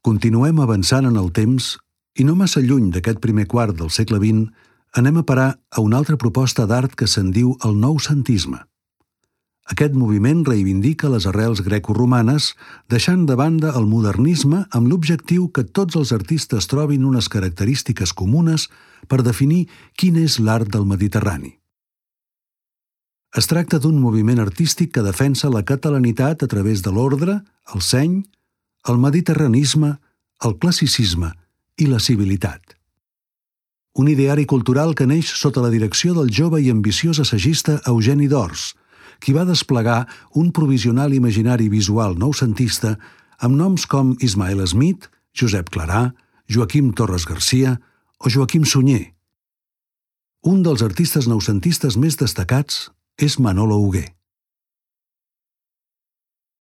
Continuem avançant en el temps i no massa lluny d'aquest primer quart del segle XX anem a parar a una altra proposta d'art que se'n diu el noucentisme. Aquest moviment reivindica les arrels greco-romanes, deixant de banda el modernisme amb l'objectiu que tots els artistes trobin unes característiques comunes per definir quin és l'art del Mediterrani. Es tracta d'un moviment artístic que defensa la catalanitat a través de l'ordre, el seny, el mediterranisme, el classicisme i la civilitat. Un ideari cultural que neix sota la direcció del jove i ambiciós assagista Eugeni d'Ors, qui va desplegar un provisional imaginari visual noucentista amb noms com Ismael Smith, Josep Clarà, Joaquim Torres Garcia o Joaquim Sunyer. Un dels artistes noucentistes més destacats és Manolo Hugué.